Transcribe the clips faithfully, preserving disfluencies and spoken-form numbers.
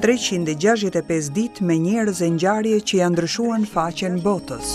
treqind e gjashtëdhjetë e pesë ditë me njerëz e ngjarje që janë ndryshuar në faqen botës.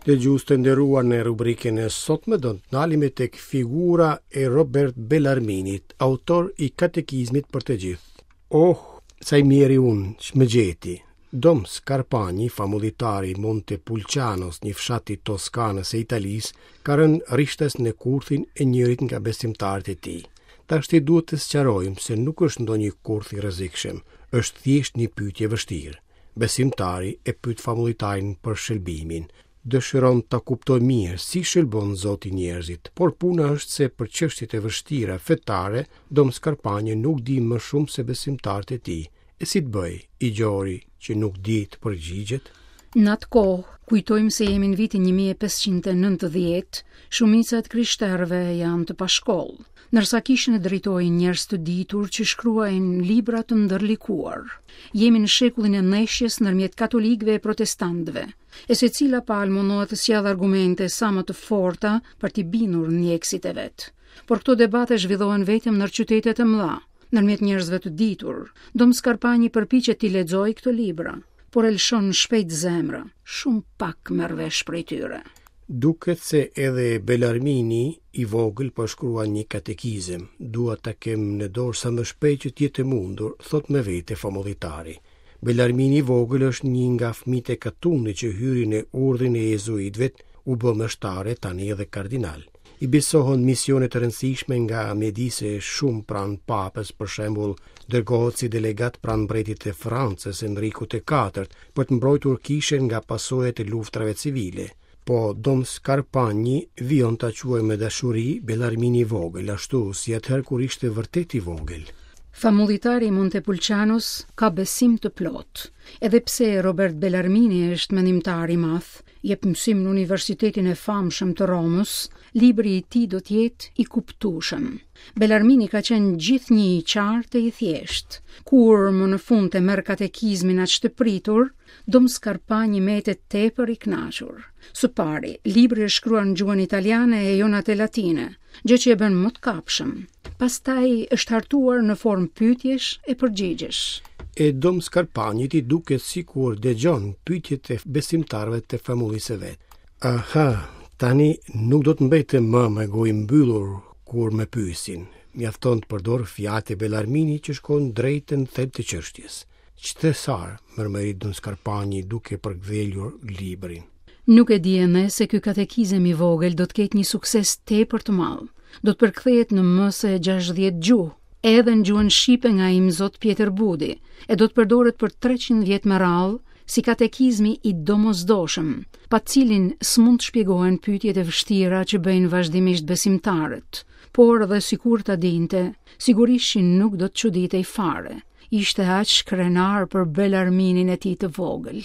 Dëgjues të nderuar, në rubrikën e sotme do të ndalemi tek figura e Robert Bellarminit, autor i Katekizmit për të gjithë. Oh, sa i mjeri unë që më gjeti. Dom Scarpagni, famullitari i Montepulcianos, një fshat i Toskanës së Italisë, ka rënë rishtas në kurthin e njërit nga besimtarët e tij. Tashti duhet të sqarojmë se nuk është ndonjë kurth i rrezikshëm, është thjesht një pyetje e vështirë. Besimtari e pyet famullitarin për shëlbimin. Dëshiron ta kuptojë mirë si shëlbon Zoti njerëzit, por puna është se për çështjet e vështira fetare, Dom Scarpagni nuk di më shumë se besimtarët e tij. E si të bëj, i gjori që nuk di të përgjigjet? Në atë kohë, kujtojmë se jemi në vitin një mijë e pesëqind e nëntëdhjetë, shumica e të krishterëve janë të pashkollë, ndërsa kishën e drejtojnë njerëz të ditur që shkruajnë libra të ndërlikuar. Jemi në shekullin e ndeshjes ndërmjet katolikëve e protestantëve, e secila palë mundohet të sjellë argumente sa më të forta për t'i bindur ndjekësit e vet. Por këto debate zhvillohen vetëm në qytetet e mëdha, ndërmjet njerëzve të ditur. Dom Scarpagni përpiqet t'i lexojë këto libra, por e lëshon shpejt zemra, shumë pak merr vesh prej tyre. Duket se edhe Bellarmini i vogël po shkruan një katekizëm. Dua ta kem në dorë sa më shpejt që të jetë e mundur, thot me vete famullitari. Bellarmini i vogël është një nga fëmijët e Katunit që hyri në urdhrin e jezuitëve, u bë meshtare, tani edhe kardinal. I besohen misione të rëndësishme nga mjedise shumë pranë papës, për shembull, dërgohet si delegat pranë mbretit të Francës, Enrikut të katërt, për të mbrojtur kishën nga pasojat e luftrave civile. Po Dom Scarpagni vijon ta quajë me dashuri Bellarmini i vogël, ashtu si atëherë kur ishte vërtet i vogël. Famullitari i Montepulcianos ka besim të plot. Edhe pse Robert Bellarmini është mendimtar i madh, jep mësim në Universitetin e famshëm të Romës, libri i tij do të jetë i kuptueshëm. Bellarmini ka qenë gjithnjë i qartë e i thjeshtë. Kur më në fund e merr katekizmin aq të pritur, Dom Scarpagni mbetet tepër i kënaqur. Së pari, libri është shkruar në gjuhën italiane e jo në atë latine, gjë që e bën më të kapshëm. Pastaj është hartuar në formë pyetjesh e përgjigjesh. E Dom Scarpagnit i duket sikur dëgjon pyetjet e besimtarëve të famullisë së vet. Aha, tani nuk do të mbetem më me gojë mbyllur kur më pyesin. Mjafton të përdor fjalët e Bellarminit që shkon drejt në thelb të çështjes. Ç'thesar, mërmëri Dom Scarpagni duke përgdhelur librin. Nuk e di ende se ky katekizëm i vogël do të ketë një sukses tepër të madh. Do të përkthehet në më se gjashtëdhjetë gjuhë, edhe në gjuhën shqipe nga Imzot Pjetër Budi, e do të përdoret për treqind vjet me radhë si katekizmi i domosdoshëm, pa cilin s'mund të shpjegohen pyetjet e vështira që bëjnë vazhdimisht besimtarët. Por edhe sikur ta dinte, sigurisht që nuk do të çuditej fare. Ishte aq krenar për Bellarminin e tij të vogël.